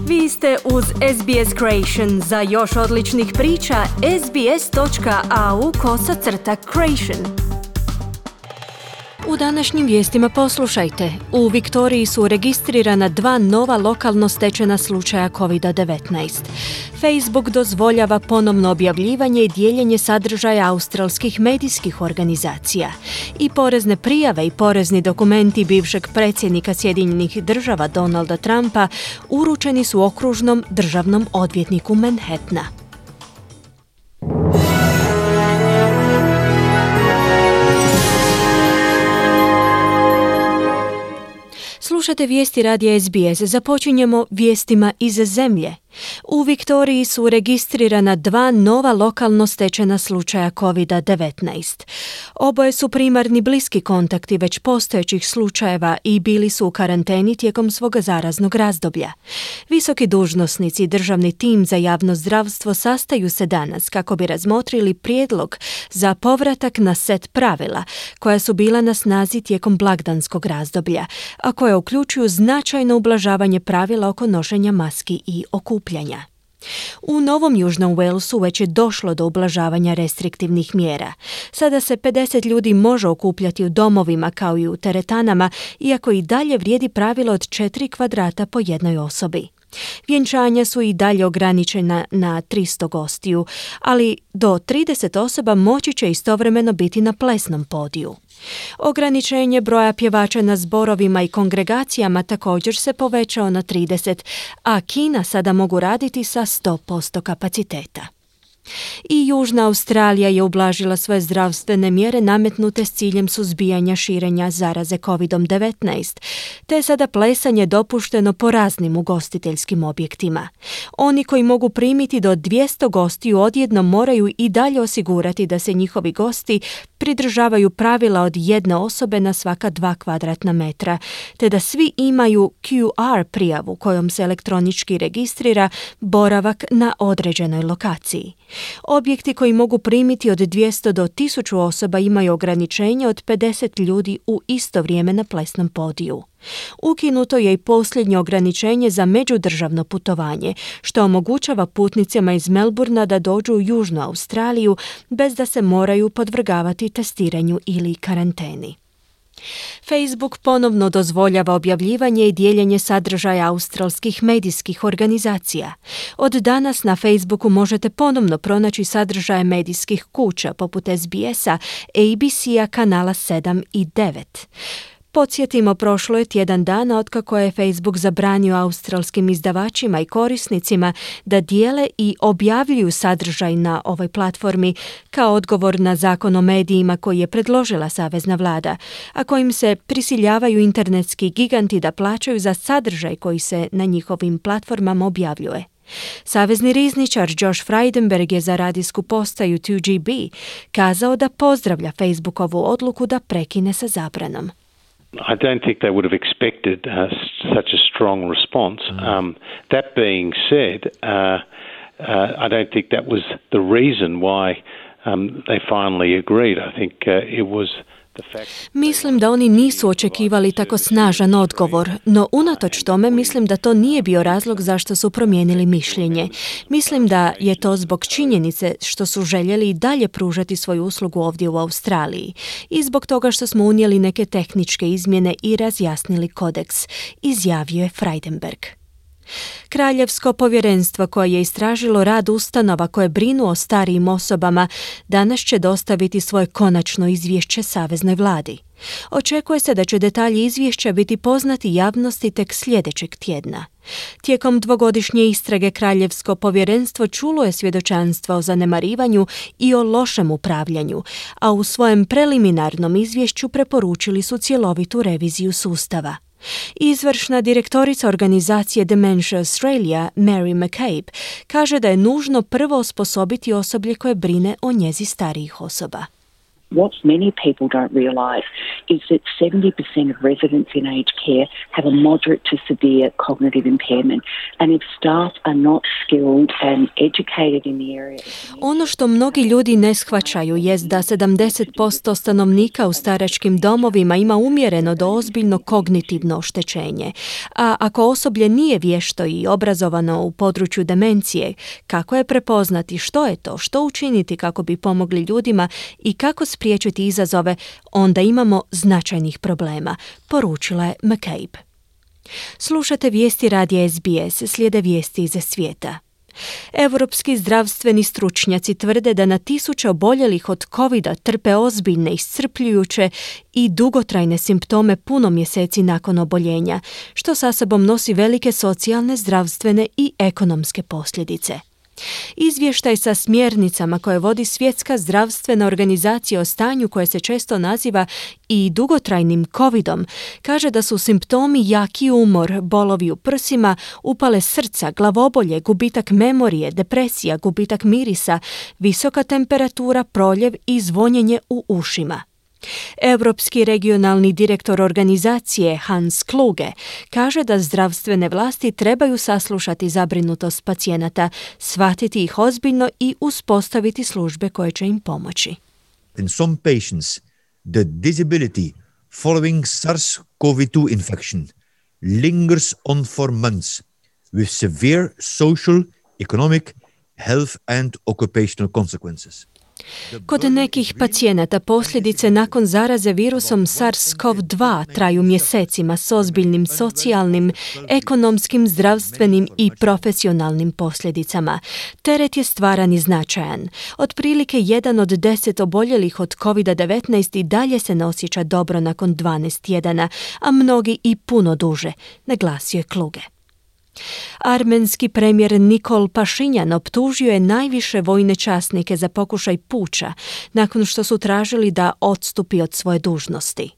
Vi ste uz SBS Creation. Za još odličnih priča, sbs.au/creation. U današnjim vijestima poslušajte. U Viktoriji su registrirana 2 nova lokalno stečena slučaja COVID-19. Facebook dozvoljava ponovno objavljivanje i dijeljenje sadržaja australskih medijskih organizacija. I porezne prijave i porezni dokumenti bivšeg predsjednika Sjedinjenih Država Donalda Trumpa uručeni su okružnom državnom odvjetniku Manhattana. Slušate vijesti radija SBS. Započinjemo vijestima iz zemlje. U Viktoriji su registrirana 2 nova lokalno stečena slučaja COVID-19. Oboje su primarni bliski kontakti već postojećih slučajeva i bili su u karanteni tijekom svog zaraznog razdoblja. Visoki dužnosnici i državni tim za javno zdravstvo sastaju se danas kako bi razmotrili prijedlog za povratak na set pravila koja su bila na snazi tijekom blagdanskog razdoblja, a koja uključuju značajno ublažavanje pravila oko nošenja maski i okupljanja. U Novom Južnom Walesu već je došlo do ublažavanja restriktivnih mjera. Sada se 50 ljudi može okupljati u domovima kao i u teretanama, iako i dalje vrijedi pravilo od 4 kvadrata po jednoj osobi. Vjenčanja su i dalje ograničena na 300 gostiju, ali do 30 osoba moći će istovremeno biti na plesnom podiju. Ograničenje broja pjevača na zborovima i kongregacijama također se povećao na 30, a kina sada mogu raditi sa 100% kapaciteta. I Južna Australija je ublažila svoje zdravstvene mjere nametnute s ciljem suzbijanja širenja zaraze COVID-19, te je sada plesanje dopušteno po raznim ugostiteljskim objektima. Oni koji mogu primiti do 200 gostiju odjednom moraju i dalje osigurati da se njihovi gosti pridržavaju pravila od 1 osobe na svaka 2 kvadratna metra, te da svi imaju QR prijavu kojom se elektronički registrira boravak na određenoj lokaciji. Objekti koji mogu primiti od 200 do 1000 osoba imaju ograničenje od 50 ljudi u isto vrijeme na plesnom podiju. Ukinuto je i posljednje ograničenje za međudržavno putovanje, što omogućava putnicima iz Melbourna da dođu u Južnu Australiju bez da se moraju podvrgavati testiranju ili karanteni. Facebook ponovno dozvoljava objavljivanje i dijeljenje sadržaja australskih medijskih organizacija. Od danas na Facebooku možete ponovno pronaći sadržaje medijskih kuća poput SBS-a, ABC-a, kanala 7 i 9. Podsjetimo, prošlo je tjedan dana otkako je Facebook zabranio australskim izdavačima i korisnicima da dijele i objavljuju sadržaj na ovoj platformi kao odgovor na zakon o medijima koji je predložila savezna vlada, a kojim se prisiljavaju internetski giganti da plaćaju za sadržaj koji se na njihovim platformama objavljuje. Savezni rizničar Josh Frydenberg je za radijsku postaju 2GB kazao da pozdravlja Facebookovu odluku da prekine sa zabranom. I don't think they would have expected such a strong response. That being said, I don't think that was the reason why they finally agreed. I think it was the fact. Mislim da oni nisu očekivali tako snažan odgovor, no unatoč tome mislim da to nije bio razlog zašto su promijenili mišljenje. Mislim da je to zbog činjenice što su željeli i dalje pružati svoju uslugu ovdje u Australiji i zbog toga što smo unijeli neke tehničke izmjene i razjasnili kodeks, izjavio je Frydenberg. Kraljevsko povjerenstvo koje je istražilo rad ustanova koje brinu o starijim osobama danas će dostaviti svoje konačno izvješće saveznoj vladi. Očekuje se da će detalji izvješća biti poznati javnosti tek sljedećeg tjedna. Tijekom 2-godišnje istrage Kraljevsko povjerenstvo čulo je svjedočanstva o zanemarivanju i o lošem upravljanju, a u svojem preliminarnom izvješću preporučili su cjelovitu reviziju sustava. Izvršna direktorica organizacije Dementia Australia, Mary McCabe, kaže da je nužno prvo osposobiti osoblje koje brine o njezi starijih osoba. What many people don't realise is that 70% of residents in aged care have a moderate to severe cognitive impairment, and if staff are not skilled and educated in the area. Ono što mnogi ljudi ne shvaćaju jest da 70% stanovnika u staračkim domovima ima umjereno do ozbiljno kognitivno oštećenje, a ako osoblje nije vješto i obrazovano u području demencije, kako je prepoznati što je to, što učiniti kako bi pomogli ljudima i kako spriječiti izazove, onda imamo značajnih problema, poručila je McCabe. Slušate vijesti radija SBS, slijede vijesti iz svijeta. Europski zdravstveni stručnjaci tvrde da na tisuće oboljelih od covida trpe ozbiljne, iscrpljujuće i dugotrajne simptome puno mjeseci nakon oboljenja, što sa sobom nosi velike socijalne, zdravstvene i ekonomske posljedice. Izvještaj sa smjernicama koje vodi Svjetska zdravstvena organizacija o stanju koje se često naziva i dugotrajnim covidom kaže da su simptomi jaki umor, bolovi u prsima, upale srca, glavobolje, gubitak memorije, depresija, gubitak mirisa, visoka temperatura, proljev i zvonjenje u ušima. Europski regionalni direktor organizacije Hans Kluge kaže da zdravstvene vlasti trebaju saslušati zabrinutost pacijenata, shvatiti ih ozbiljno i uspostaviti službe koje će im pomoći. In some patients, the disability following SARS-CoV-2 infection lingers on for months with severe social, economic, health and occupational consequences. Kod nekih pacijenata posljedice nakon zaraze virusom SARS-CoV-2 traju mjesecima s ozbiljnim socijalnim, ekonomskim, zdravstvenim i profesionalnim posljedicama. Teret je stvaran i značajan. Otprilike 1 od 10 oboljelih od COVID-19 i dalje se ne osjeća dobro nakon 12 tjedana, a mnogi i puno duže, naglasio je Kluge. Armenski premijer Nikol Pašinjan optužio je najviše vojne časnike za pokušaj puča nakon što su tražili da odstupi od svoje dužnosti.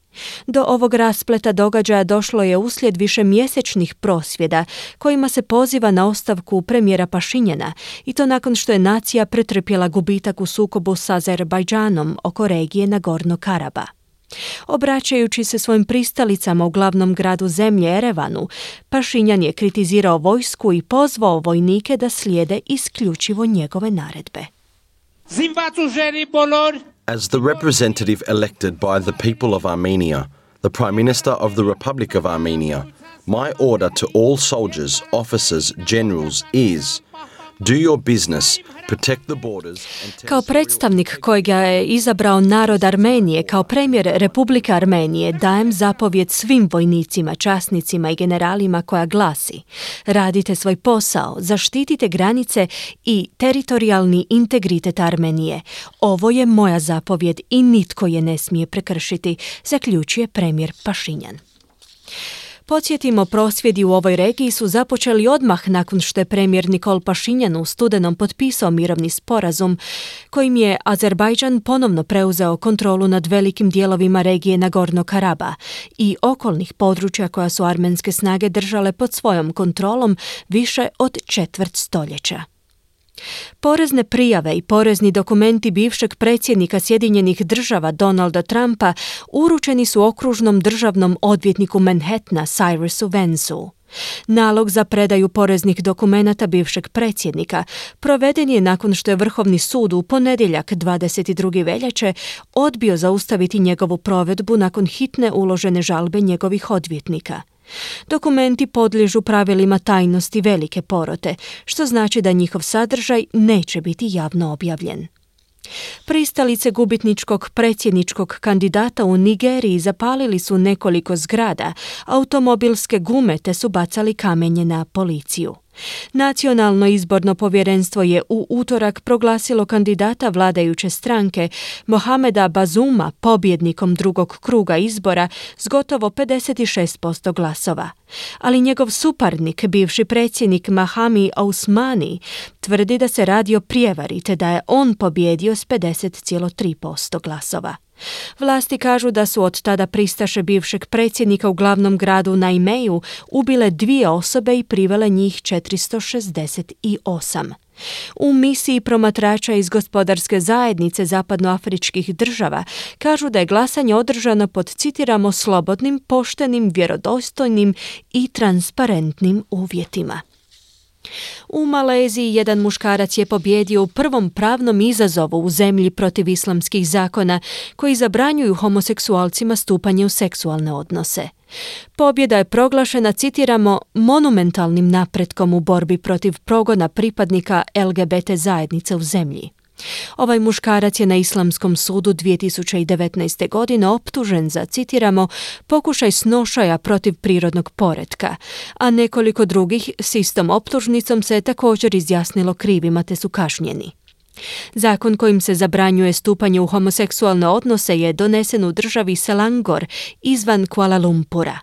Do ovog raspleta događaja došlo je uslijed višemjesečnih prosvjeda kojima se poziva na ostavku premijera Pašinjana i to nakon što je nacija pretrpjela gubitak u sukobu s Azerbajdžanom oko regije Nagorno-Karaba. Obraćajući se svojim pristalicama u glavnom gradu zemlje Erevanu, Pašinjan je kritizirao vojsku i pozvao vojnike da slijede isključivo njegove naredbe. As the representative elected by the people of Armenia, the Prime Minister of the Republic of Armenia, my order to all soldiers, officers, generals is do your business, protect the borders. Kao predstavnik kojega je izabrao narod Armenije kao premijer Republike Armenije dajem zapovjed svim vojnicima, časnicima i generalima koja glasi: radite svoj posao, zaštitite granice i teritorijalni integritet Armenije. Ovo je moja zapovjed i nitko je ne smije prekršiti, zaključuje premijer Pašinjan. Podsjetimo, prosvjedi u ovoj regiji su započeli odmah nakon što je premijer Nikol Pašinjan u studenom potpisao mirovni sporazum kojim je Azerbajdžan ponovno preuzeo kontrolu nad velikim dijelovima regije Nagorno-Karaba i okolnih područja koja su armenske snage držale pod svojom kontrolom više od četvrt stoljeća. Porezne prijave i porezni dokumenti bivšeg predsjednika Sjedinjenih država Donalda Trumpa uručeni su okružnom državnom odvjetniku Manhattana Cyrusu Vancu. Nalog za predaju poreznih dokumenata bivšeg predsjednika proveden je nakon što je Vrhovni sud u ponedjeljak 22. veljače odbio zaustaviti njegovu provedbu nakon hitne uložene žalbe njegovih odvjetnika. Dokumenti podliježu pravilima tajnosti velike porote, što znači da njihov sadržaj neće biti javno objavljen. Pristalice gubitničkog predsjedničkog kandidata u Nigeriji zapalili su nekoliko zgrada, automobilske gume te su bacali kamenje na policiju. Nacionalno izborno povjerenstvo je u utorak proglasilo kandidata vladajuće stranke Mohameda Bazuma pobjednikom drugog kruga izbora s gotovo 56% glasova. Ali njegov suparnik, bivši predsjednik Mahami Ousmani, tvrdi da se radi o prijevari te da je on pobjedio s 50,3% glasova. Vlasti kažu da su od tada pristaše bivšeg predsjednika u glavnom gradu Naimeju ubile 2 osobe i privele njih 468. U misiji promatrača iz gospodarske zajednice zapadnoafričkih država kažu da je glasanje održano pod, citiramo, slobodnim, poštenim, vjerodostojnim i transparentnim uvjetima. U Maleziji jedan muškarac je pobjedio u prvom pravnom izazovu u zemlji protiv islamskih zakona koji zabranjuju homoseksualcima stupanje u seksualne odnose. Pobjeda je proglašena, citiramo, monumentalnim napretkom u borbi protiv progona pripadnika LGBT zajednice u zemlji. Ovaj muškarac je na Islamskom sudu 2019. godine optužen za, citiramo, pokušaj snošaja protiv prirodnog poretka, a nekoliko drugih s istom optužnicom se je također izjasnilo krivima te su kažnjeni. Zakon kojim se zabranjuje stupanje u homoseksualne odnose je donesen u državi Selangor izvan Kuala Lumpura.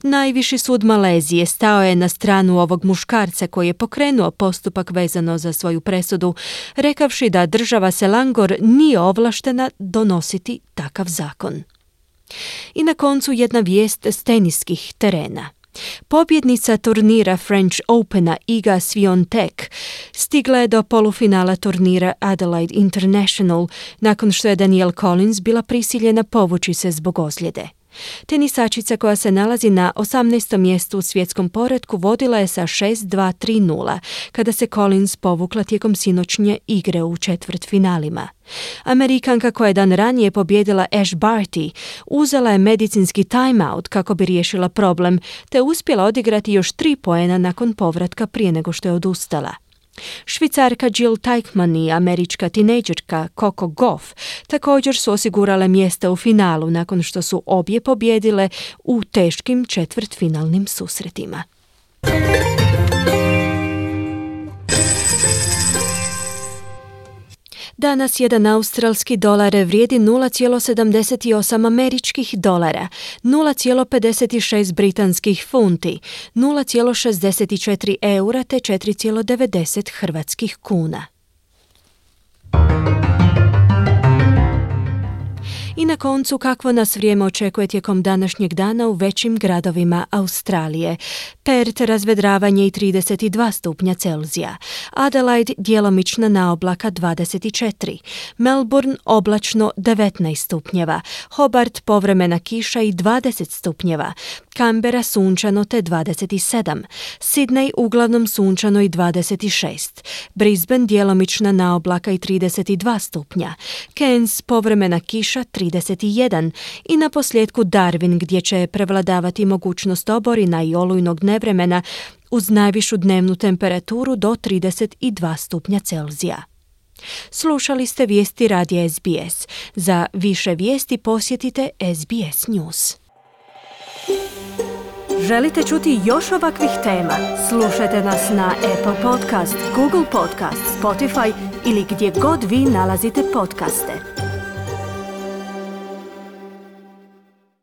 Najviši sud Malezije stao je na stranu ovog muškarca koji je pokrenuo postupak vezano za svoju presudu, rekavši da država Selangor nije ovlaštena donositi takav zakon. I na koncu jedna vijest s teniskih terena. Pobjednica turnira French Opena Iga Swiatek stigla je do polufinala turnira Adelaide International nakon što je Danielle Collins bila prisiljena povući se zbog ozljede. Tenisačica koja se nalazi na 18. mjestu u svjetskom poretku vodila je sa 6-2-3-0 kada se Collins povukla tijekom sinoćnje igre u četvrtfinalima. Amerikanka koja je dan ranije pobijedila Ash Barty uzela je medicinski timeout kako bi riješila problem te uspjela odigrati još 3 poena nakon povratka prije nego što je odustala. Švicarka Jill Teichmann i američka tinejdžerka Coco Gauff također su osigurale mjesta u finalu nakon što su obje pobijedile u teškim četvrtfinalnim susretima. Danas jedan australski dolar vrijedi 0,78 američkih dolara, 0,56 britanskih funti, 0,64 eura te 4,90 hrvatskih kuna. I na koncu, kakvo nas vrijeme očekuje tijekom današnjeg dana u većim gradovima Australije. Perth razvedravanje i 32 stupnja Celzija. Adelaide djelomična naoblaka 24. Melbourne oblačno 19 stupnjeva. Hobart povremena kiša i 20 stupnjeva. Canberra sunčano te 27. Sydney uglavnom sunčano i 26. Brisbane djelomična naoblaka i 32 stupnja. Cairns povremena kiša 31. I na posljedku Darwin gdje će prevladavati mogućnost oborina i olujnog nevremena uz najvišu dnevnu temperaturu do 32 stupnja Celzija. Slušali ste vijesti radija SBS. Za više vijesti posjetite SBS News. Želite čuti još ovakvih tema? Slušajte nas na Apple Podcast, Google Podcast, Spotify ili gdje god vi nalazite podcaste.